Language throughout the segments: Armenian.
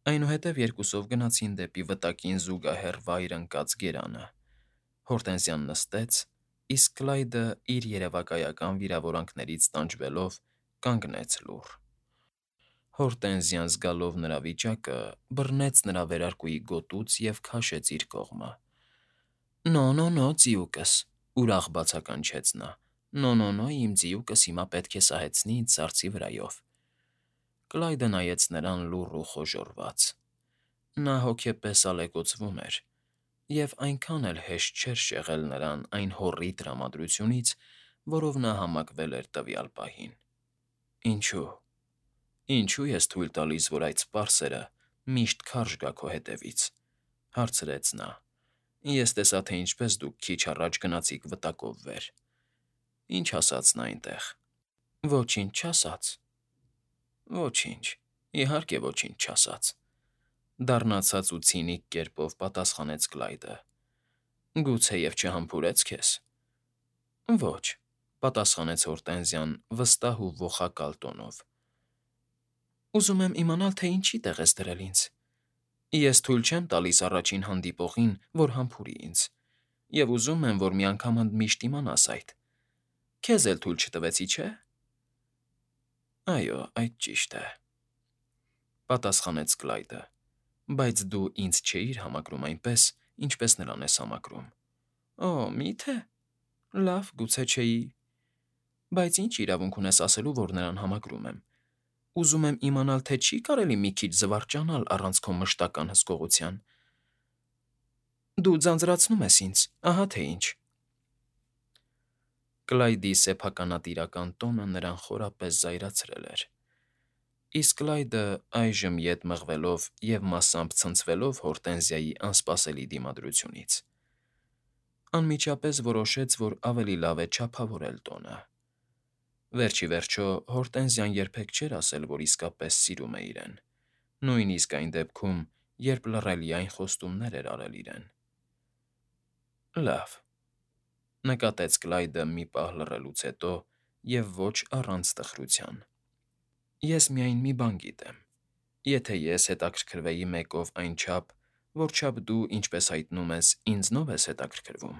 Այնուհետև երկուսով գնացին դեպի վտակին զուգահեռ վայր ընկած գերանը. Հորտենզիան նստեց, իսկ Կլայդը, իր երևակայական վիրավորանքներից տանջվելով, կանգնեց լուռ։ Հորտենզիան, զգալով նրա վիճակը, բռնեց նրա վերարկուի գոտուց և քաշեց իր կողմը։ «Նո, ձիուկս,֊ ուրախ բացականչեց նա։֊ Նո, իմ ձիուկս հիմա պետք է սահեցնի ինձ սառցի վրայով»։ Կլայդը նայեց նրան լուռ ու խոժոռված։ Նա հոգեպես ալեկոծվում էր, և այնքան էլ հեշտ չէր շեղել նրան այն հոռի տրամադրությունից, որով նա համակվել էր տվյալ պահին։ Ինչո՞ւ ես թույլ տալիս, որ այդ սպարսերը միշտ քարշ գա քո հետևից,֊ հարցրեց նա։ «Ես տեսա, թե ինչպես դուք քիչ առաջ գնացիք վտակով վեր։ Ինչ ասաց նա այնտեղ»։ «Ոչինչ չասաց»։ «Ոչինչ, իհարկե ոչինչ չասաց,֊ դառնացած ու ցինիկ կերպով պատասխանեց Կլայդը։ «Գուցեև չհամբուրեց քեզ»։ «Ոչ,֊ պատասխանեց Հորտենզիան վստահ ու ոխակալ տոնով։ Ուզում եմ իմանալ, թե ինչի տեղ ես դրել ինձ։ Ես թույլ չեմ տալիս առաջին հանդիպողին, որ համբուրի ինձ, և ուզում եմ, որ մի անգամ ընդմիշտ իմանաս այդ։ Քեզ էլ թույլ չտվեցի, չէ՞։ Այո, այդ ճիշտ է,֊ պատասխանեց Կլայդը։ «Բայց դու ինձ չէիր համակրում այնպես, ինչպես նրան ես համակրում»։ «Օ, մի՞թե։ Լավ, գուցե չէի։ Բայց ի՞նչ իրավունք ունես ասելու, որ նրան համակրում եմ։ Ուզում եմ իմանալ, թե չի՞ կարելի մի քիչ զվարճանալ առանց քո մշտական հսկողության։ Դու ձանձրացնում ես ինձ, ահա թե ինչ»։ Կլայդի սեփականատիրական տոնը նրան խորապես զայրացրել էր, իսկ Կլայդը, այժմ ետ մղվելով և մասամբ ցնցվելով Հորտենզիայի անսպասելի դիմադրությունից, անմիջապես որոշեց, որ ավելի լավ է չափավորել տոնը։ Վերջ ի վերջո Հորտենզիան երբեք չէր ասել, որ իսկապես սիրում է իրեն, նույնիսկ այն դեպքում, երբ լռելիայն խոստումներ էր արել իրեն։ «Լավ,֊ նկատեց Կլայդը մի պահ լռելուց հետո և ոչ առանց տխրության։֊ Ես միայն մի բան գիտեմ. եթե ես հետաքրքրվեի մեկով այնչափ, որչափ դու, ինչպես հայտնում ես, ինձնով ես հետաքրքրվում,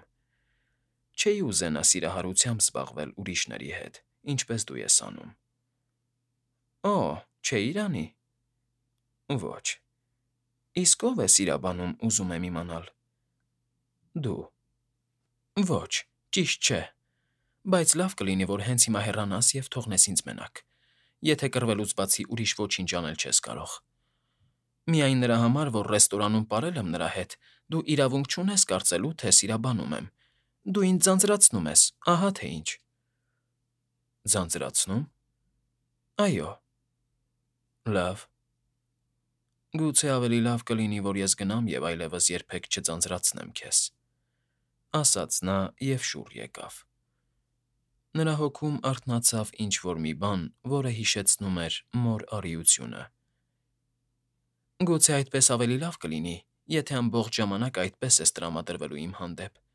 չէի ուզենա սիրահարությամբ զբաղվել ուրիշների հետ, ինչպես դու ես անում։ Օ, չէիր անի։ Ոչ։ Իսկ ո՞վ է սիրաբանում, ուզում եմ իմանալ։ Դու։ Ոչ, ճիշտ չէ։ Բայց լավ կլինի, որ հենց հիմա հեռանաս և թողնես ինձ մենակ, եթե կռվելուց բացի ուրիշ ոչինչ անել չես կարող։ Միայն նրա համար, որ ռեստորանում պարել եմ նրա հետ, դու իրավունք չունես կարծելու, թե սիրաբանում եմ։ Դու ինձ ձանձրացնում ես, ահա թե ինչ։ Ձանձրացնո՞ւմ։ Այո։ Լավ։ Գուցե ավելի լավ կլինի, որ ես գնամ և այլևս երբեք չձանձրացնեմ քեզ,֊ ասաց նա և շուռ եկավ։ Նրա հոգում արթնացավ ինչ֊որ մի բան, որը հիշեցնում էր մոր արիությունը։ Գուցե այդպես ավելի լավ կլինի, եթե ամբողջ ժամանակ այդպես ես տրամադրվելու իմ հանդեպ,֊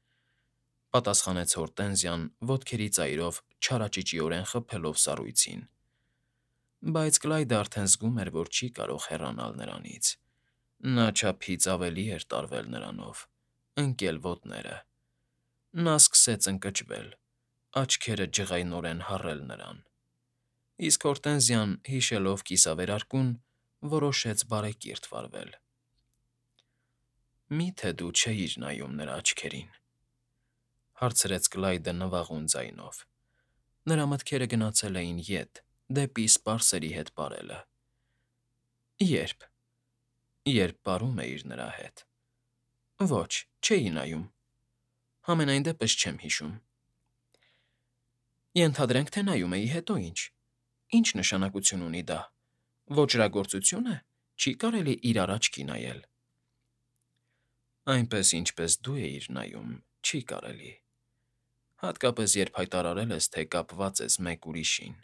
պատասխանեց Հորտենզիան, ոտքերի ծայրով չարաճճիորեն խփելով սառույցին։ Բայց Կլայդը արդեն զգում էր, որ չի կարող հեռանալ նրանից։ Նա չափից ավելի էր տարվել նրանով, ընկել ոտները։ Նա սկսեց ընկճվել, աչքերը ջղայնորեն հառել նրան։ Իսկ Հորտենզիան, հիշելով կիսավերարկուն, որոշեց բարեկիրթ վարվել։ Մի՞թե դու չէիր նայում նրա աչքերին,֊ հարցրեց Կլայդը նվաղուն ձայնով։ Նրա մտքերը գնացել էին ետ, դեպի սպարսերի հետ պարելը։ Ե՞րբ։ Երբ պարում էիր նրա հետ։ Ոչ, չէի նայում։ Համենայն դեպս չեմ հիշում։ Ենթադրենք, թե նայում էի, հետո ի՞նչ։ Ինչ նշանակություն ունի դա։ Ոճրագործությո՞ւն է, չի կարելի իրար աչքի նայել։ Այնպես, ինչպես դու էիր նայում, չի կարելի։ Հատկապես, երբ հայտարարել ես, թե կապված ես մեկ ուրիշին։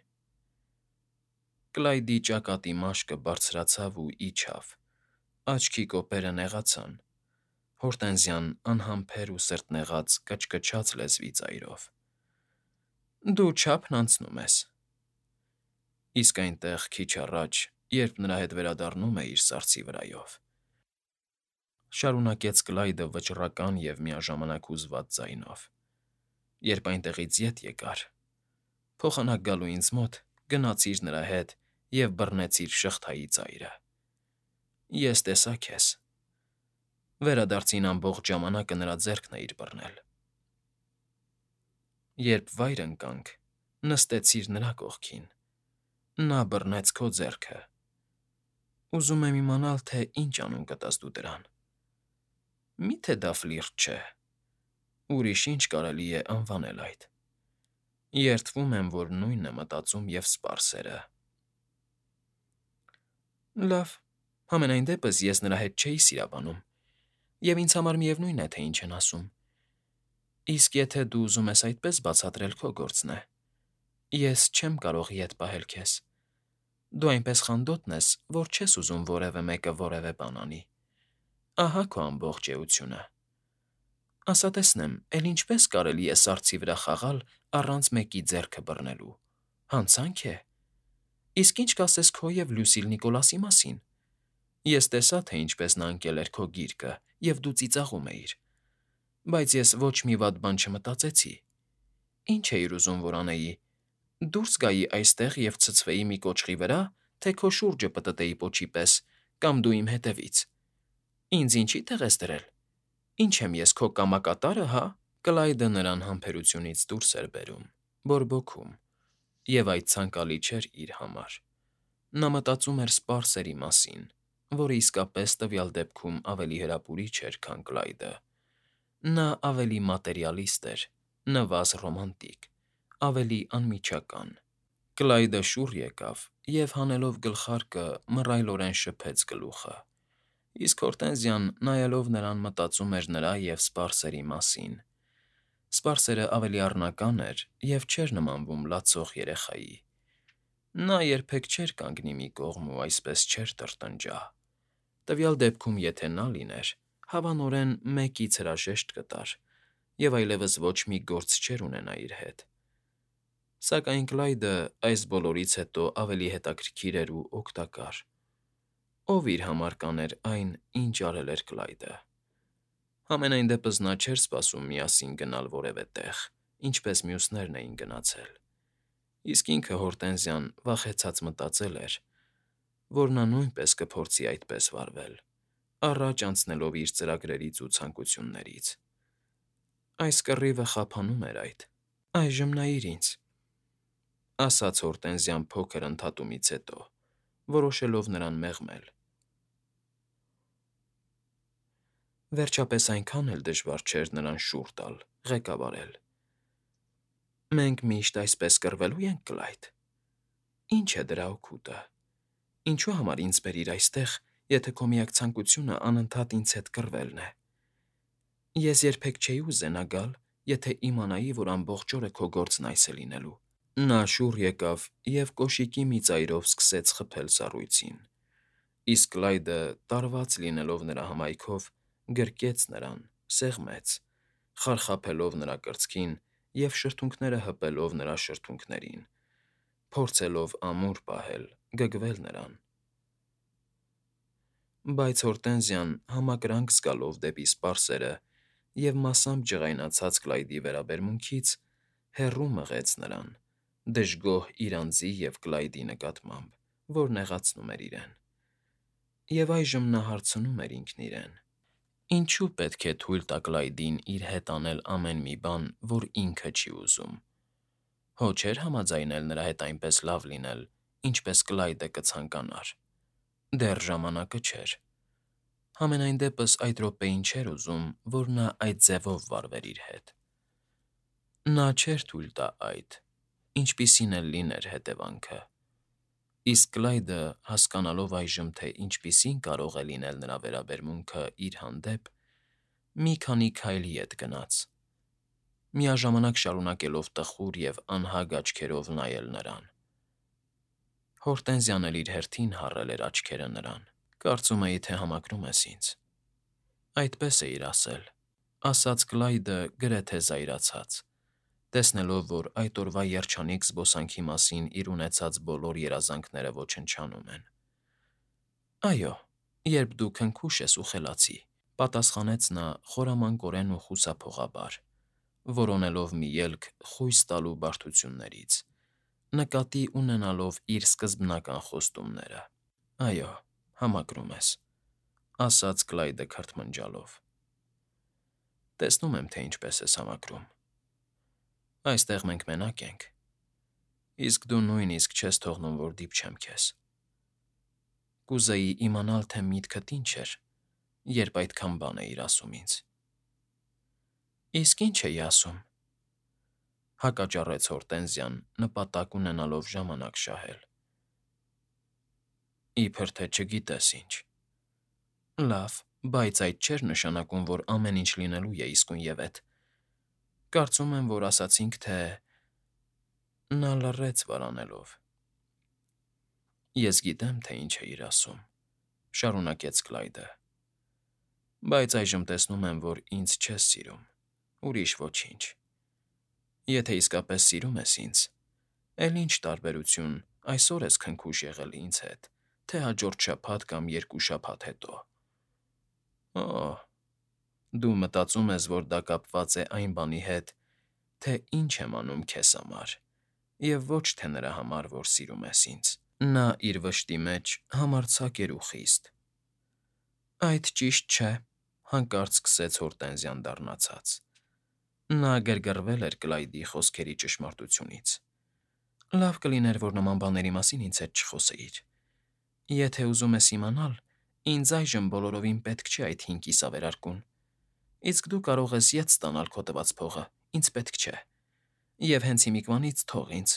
Կլայդի ճակատի մաշկը բարձրացավ ու իջավ, աչքի կոպերը նեղացան։ Հորտենզիան անհամբեր ու սրտնեղած կչկչաց լեզվի ծայրով։ Դու չափն անցնում ես։ Իսկ այնտեղ քիչ առաջ, երբ նրա հետ վերադառնում է իր սառցի վրայով,֊ շարունակեց Կլայդը վճռական և միաժամանակ հուզված ձայնով,֊ երբ այնտեղից ետ եկար, փոխանակ գալու ինձ մոտ գնացիր նրա հետ և բռնեցիր շղթայի ծայրը։ Ես տեսա քեզ։ Վերադարձին ամբողջ ժամանակը նրա ձեռքն էիր բռնել։ Երբ վայր ընկանք, նստեցիր նրա կողքին, նա բռնեց քո ձեռքը։ Ուզում եմ իմանալ, թե ինչ անուն կտաս դու դրան։ Մի՞թե դա ֆլիրտ չէ։ Ուրիշ ինչ կարելի է անվանել այդ։ Երդվում եմ, որ նույնն է մտածում և սպարսերը։ Լավ, համենայն դեպս ես նրա հետ չէի սիրաբանում, և ինձ համար միևնույն է, թե ինչ են ասում։ Իսկ եթե դու ուզում ես այդպես բացատրել, քո գործն է։ Ես չեմ կարող ետ պահել քեզ։ Դու այնպես խանդոտն ես, որ չես ուզում որևէ մեկը որևէ բան անի։ Ահա քո ամբողջ էությունը։ Ասա տեսնեմ, էլ ինչպես կարելի է սառցի վրա խաղալ առանց մեկի ձեռքը բռնելու։ Հանցանք է։ Իսկ ինչ կասես քո և Լյուսիլ Նիկոլասի մասին։ Ես տեսա, թե ինչպես նա ընկել էր քո գիրկը, և դու ծիծաղում էիր։ Բայց ես ոչ մի վատ բան չմտածեցի։ Ինչ էիր ուզում, որ անեի։ Դուրս գայի այստեղ և ցցվեի մի կոճղի վրա, թե քո շուրջը պտտեի պոչի պես, կամ դու իմ հետևից։ Ինձ ինչի՞ տեղ ես դրել։ Ինչ եմ ես քո կամակատարը, հա։ Կլայդը նրան համբերությունից դուրս էր բերում, բորբոքում, և այդ ցանկալի չէր իր համար։ Նա մտածում էր սպարսերի մասին, որը իսկապես տվյալ դեպքում ավելի հրապուրիչ էր, քան Կլայդը։ Նա ավելի մատերիալիստ էր, նվազ ռոմանտիկ, ավելի անմիջական։ Կլայդը շուռ եկավ և, հանելով գլխարկը, մռայլորեն շփեց գլուխը, իսկ Հորտենզիան, նայելով նրան, մտածում էր նրա և սպարսերի մասին։ Սպարսերը ավելի առնական էր և չէր նմանվում լացող երեխայի։ Նա երբեք չէր կանգնի մի կողմ ու այսպես չէր տրտնջա։ Տվյալ դեպքում, եթե նա լիներ, հավանորեն մեկից հրաժեշտ կտար և այլևս ոչ մի գործ չէր ունենա իր հետ։ Սակայն Կլայդը այս բոլորից հետո ավելի հետաքրքիր էր ու օգտակար։ Ով իր համար կաներ այն, ինչ արել էր Կլայդը։ Համենայն դեպս նա չէր սպասում միասին գնալ որևէ տեղ, ինչպես մյուսներն էին գնացել։ Իսկ ինքը Հորտենզիան վախեցած մտածել էր, որ նա նույնպես կփորձի այդպես վարվել, առաջ անցնելով իր ծրագրերից ու ցանկություններից։ Այս կռիվը խափանում էր այդ։ Այժմ նայիր ինձ,֊ ասաց Հորտենզիան փոքր ընդհատումից հետո, որոշելով նրան մեղմել։ Վերջապես այնքան էլ դժվար չէր նրան շուռ տալ, ղեկավարել։ Մենք միշտ այսպես կռվելու ենք, Կլայդ։ Ինչ է դրա օգուտը։ Ինչու համար ինձ բերիր այստեղ, եթե քո միակ ցանկությունը անընդհատ ինձ հետ կռվելն է։ Ես երբեք չէի ուզենա գալ, եթե իմանայի, որ ամբողջ օրը քո գործն այս է լինելու։ Նա շուռ եկավ և կոշիկի մի ծայրով սկսեց խփել սառույցին, իսկ Կլայդը, տարված լինելով նրա հմայքով, գրկեց նրան, սեղմեց, խարխափելով նրա կրծքին և շրթունքները հպելով նրա շրթունքներին, փորձելով ամուր պահել, գգվել նրան։ Բայց Հորտենզիան, համակրանք զգալով դեպի սպարսերը և մասամբ ջղայնացած Կլայդի վերաբերմունքից, հեռու մղեց նրան, դժգոհ իր անձի և Կլայդի նկատմամբ, որ նեղացնում էր իրեն։ Եվ այժմ նա հարցնում էր ինքն իրեն. ինչո՞ւ պետք է թույլ տա Կլայդին իր հետ անել ամեն մի բան, որ ինքը չի ուզում։ Հո չէր համաձայնել նրա հետ այնպես լավ լինել, ինչպես Կլայդը կցանկանար։ Դեռ ժամանակը չէր։ Համենայն դեպս այդ րոպեին չէր ուզում, որ նա այդ ձևով վարվեր իր հետ։ Նա չէր թույլ տա այդ, ինչպիսին էլ լիներ հետևանքը։ Իսկ Կլայդը, հասկանալով այժմ, թե ինչպիսին կարող է լինել նրա վերաբերմունքը իր հանդեպ, մի քանի քայլ ետ գնաց, միաժամանակ շարունակելով տխուր և անհագ աչքերով նայել նրան։ Հորտենզիան էլ իր հերթին հառել էր աչքերը նրան։ Կարծում էի, թե համակրում ես ինձ։ Այդպես էիր ասել,֊ ասաց Կլայդը գրեթե զայրացած, տեսնելով, որ այդ օրվա երջանիկ զբոսանքի մասին իր ունեցած բոլոր երազանքները ոչնչանում են։ Այո, երբ դու քնքուշ ես ու խելացի, պատասխանեց նա խորամանկորեն ու խուսափողաբար, որոնելով մի ելք խույս տալու բարդություններից, նկատի ունենալով իր սկզբնական խոստումները։ Այո, համակրում ես, ասաց Կլայդը քրթմնջալով։ Տեսնում եմ, թե ինչպես ես համակրում։ Այստեղ մենք մենակ ենք, իսկ դու նույնիսկ չես թողնում, որ դիպչեմ քեզ։ Կուզեի իմանալ, թե միտքդ ինչ էր, երբ այդքան բան էիր ասում ինձ։ Իսկ ինչ էի ասում, հակաճառեց Հորտենզիան, նպատակ ունենալով ժամանակ շահել։ Իբր թե չգիտես ինչ։ Լավ, բայց այդ չէր նշանակում, որ ամեն ինչ լինելու է իսկույնևեթ։ Կարծում եմ, որ ասացինք, թե… Նա լռեց վարանելով։ Ես գիտեմ, թե ինչ էիր ասում, շարունակեց Կլայդը, բայց այժմ տեսնում եմ, որ ինձ չես սիրում, ուրիշ ոչինչ։ Եթե իսկապես սիրում ես ինձ, էլ ինչ տարբերություն այսօր ես քնքուշ եղել ինձ հետ, թե հաջորդ շաբաթ կամ 2 շաբաթ հետո։ Օ՜, դու մտածում ես, որ դա կապված է այն բանի հետ, թե ինչ եմ անում քեզ համար, և ոչ թե նրա համար, որ սիրում ես ինձ։ Նա իր վշտի մեջ համարձակ էր ու խիստ։ Այդ ճիշտ չէ, հանկարծ սկսեց Հորտենզիան դառնացած։ Նա գրգռվել էր Կլայդի խոսքերի ճշմարտությունից։ Լավ կլիներ, որ նման բաների մասին ինձ հետ չխոսեիր։ Եթե ուզում ես իմանալ, ինձ այժմ բոլորովին պետք չէ այդ 5 կիսավերարկուն, իսկ դու կարող ես ետ ստանալ քո տված փողը, ինձ պետք չէ։ Եվ հենց հիմիկվանից թող ինձ,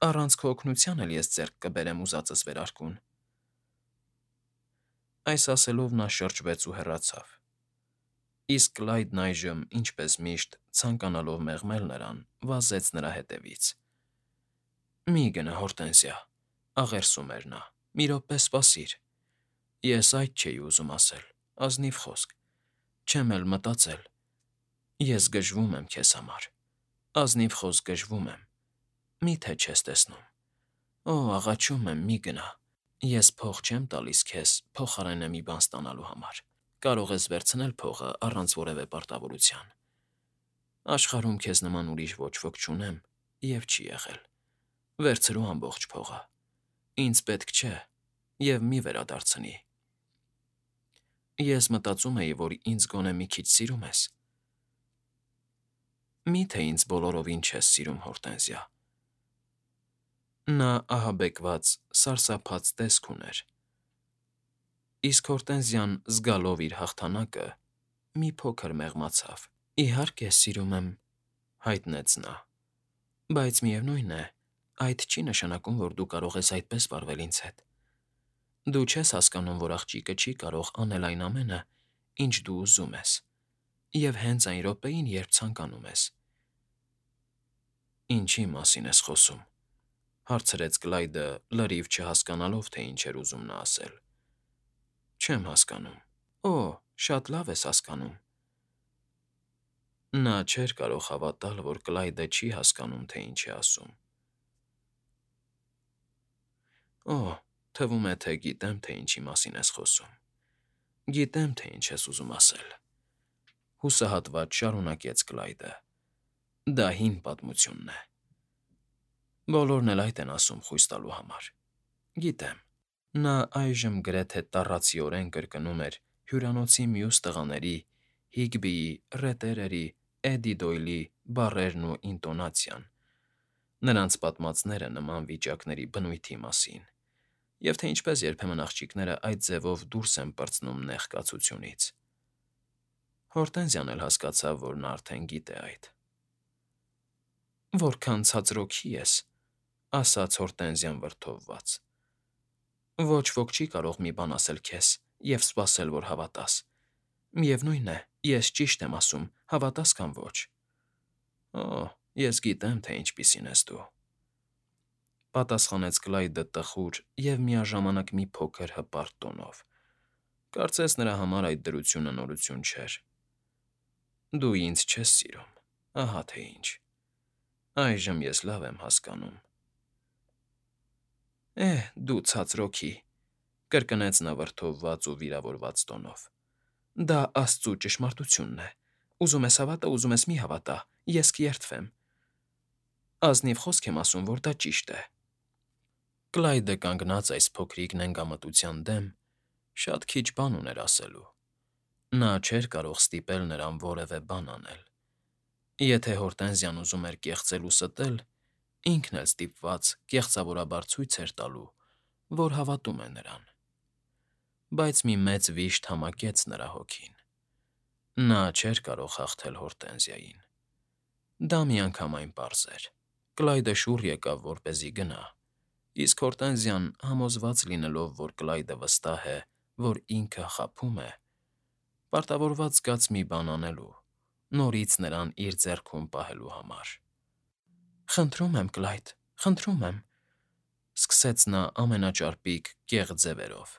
առանց քո օգնության էլ ես ձեռք կբերեմ ուզածս վերարկուն։ Այս ասելով նա շրջվեց ու հեռացավ։ Իսկ Կլայդն այժմ, ինչպես միշտ, ցանկանալով մեղմել նրան, վազեց նրա հետևից։ Մի գնա, Հորտենզիա, աղերսում էր նա, մի րոպե սպասիր։ Ես այդ չէի ուզում ասել, ազնիվ խոսք, չեմ էլ մտածել։ Ես գժվում եմ քեզ համար, ազնիվ խոսք գժվում եմ, մի՞թե չես տեսնում։ Օ, աղաչում եմ, մի գնա։ Ես փող չեմ տալիս քեզ փոխարենը մի բան ստանալու համար։ Կարող ես վերցնել փողը առանց որևէ պարտավորության։ Աշխարհում քեզ նման ուրիշ ոչ ոք չունեմ և չի եղել։ Վերցրու ամբողջ փողը։ Ինձ պետք չէ և մի վերադարձնի։ Ես մտածում էի, որ ինձ գոնե մի քիչ սիրում ես։ Մի՞թե ինձ բոլորովին չես սիրում, Հորտենզիա։ Նա ահաբեկված, սարսափած տեսք ուներ։ Իսկ Հորտենզիան, զգալով իր հաղթանակը, մի փոքր մեղմացավ։ Իհարկե, սիրում եմ, հայտնեց նա, բայց միևնույն է, այդ չի նշանակում, որ դու կարող ես այդպես վարվել ինձ հետ։ Դու չես հասկանում, որ աղջիկը չի կարող անել այն ամենը, ինչ դու ուզում ես, և հենց այն րոպեին, երբ ցանկանում ես։ Ինչի՞ մասին ես խոսում, հարցրեց Կլայդը, լրիվ չհասկանալով, թե ինչ էր ուզում նա ասել։ Չեմ հասկանում։ Օ, շատ լավ ես հասկանում։ Նա չէր կարող հավատալ, որ Կլայդը չի հասկանում, թե ինչ է ասում։ Օ, թվում է, թե գիտեմ, թե ինչի մասին ես խոսում։ Գիտեմ, թե ինչ ես ուզում ասել։ Հուսահատված շարունակեց Կլայդը։ Դա հին պատմությունն է։ Բոլորն էլ այդ են ասում խույս տալու համար։ Գիտեմ։ Նա այժմ գրեթե տառացիորեն կրկնում էր հյուրանոցի մյուս տղաների՝ Հիգբիի, Ռետերերի, Էդի Դոյլի բառերն ու ինտոնացիան, նրանց պատմածները նման վիճակների բնույթի մասին, և թե ինչպես երբեմն աղջիկները այդ ձևով դուրս են պրծնում նեղ կացությունից։ Հորտենզիան էլ հասկացավ, որ նա արդեն գիտե այդ։ Որքան ցածրօքի ես, ասաց Հորտենզիան վրդովված։ Ոչ ոք չի կարող մի բան ասել քեզ և սպասել, որ հավատաս։ Միևնույն է, ես ճիշտ եմ ասում, հավատաս կամ ոչ։ Օ, ես գիտեմ, թե ինչպիսին ես դու, պատասխանեց Կլայդը տխուր և միաժամանակ մի փոքր հպարտ տոնով։ Կարծես նրա համար այդ դրությունը նորություն չէր։ Դու ինձ չես սիրում, ահա թե ինչ։ Այժմ ես լավ եմ հասկանում։ Դու ցածրօքի, կրկնեց նա վրդովված ու վիրավորված տոնով։ Դա աստծու ճշմարտությունն է։ Ուզում ես հավատա, ուզում ես մի հավատա, ես կերթվեմ։ Ազնիվ խոսք եմ ասում, որ դա ճիշտ է։ Կլայդը կանգնած այս փոքրիկ նենգամտության դեմ շատ քիչ բան ուներ ասելու։ Նա չէր կարող ստիպել նրան որևէ բան անել։ Եթե Հորտենզիան ուզում էր կեղծել ու ստել, ինքն էլ ստիպված կեղծավորաբար ցույց էր տալու, որ հավատում է նրան։ Բայց մի մեծ վիշտ համակեց նրա հոգին։ Նա չէր կարող հաղթել Հորտենզիային։ Դա միանգամայն պարզ էր։ Կլայդը շուռ եկավ, որպեսզի գնա, իսկ Հորտենզիան, համոզված լինելով, որ Կլայդը վստահ է, որ ինքը խաբում է, պարտավորված զգաց մի բան անելու, նորից նրան իր ձեռքում պահելու համար։ Խնդրում եմ, Կլայդ, խնդրում եմ, սկսեց նա ամենաճարպիկ կեղծ ձևերով։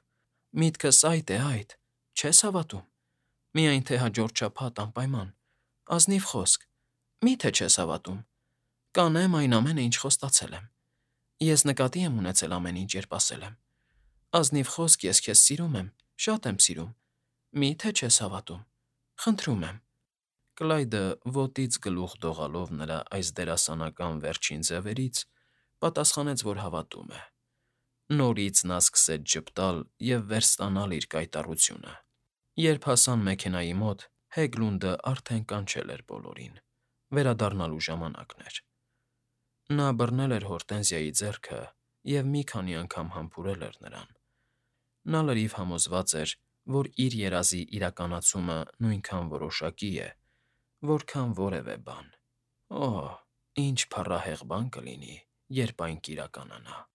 Միտքս այդ է, այդ, չես հավատում։ Միայն թե հաջորդ շաբաթ անպայման, ազնիվ խոսք, մի՞թե չես հավատում։ Կանեմ այն ամենը, ինչ խոստացել եմ։ Ես նկատի եմ ունեցել ամեն ինչ, երբ ասել եմ։ Ազնիվ խոսք, ես քեզ սիրում եմ, շատ եմ սիրում։ Մի՞թե չես հավատում։ Խնդրում եմ։ Կլայդը ոտից գլուխ դողալով նրա այս դերասանական վերջին ձևերից, պատասխանեց, որ հավատում է։ Նորից նա սկսեց ժպտալ և վերստանալ իր կայտառությունը։ Երբ հասան մեքենայի մոտ, Հեգլունդը արդեն կանչել էր բոլորին։ Վերադառնալու ժամանակն էր։ Նա բռնել էր Հորտենզիայի ձեռքը և մի քանի անգամ համբուրել էր նրան։ Նա լրիվ համոզված էր, որ իր երազի իրականացումը նույնքան որոշակի է, որքան որևէ բան։ Օհ, ինչ փառահեղ բան կլինի, երբ այն կիրականանա։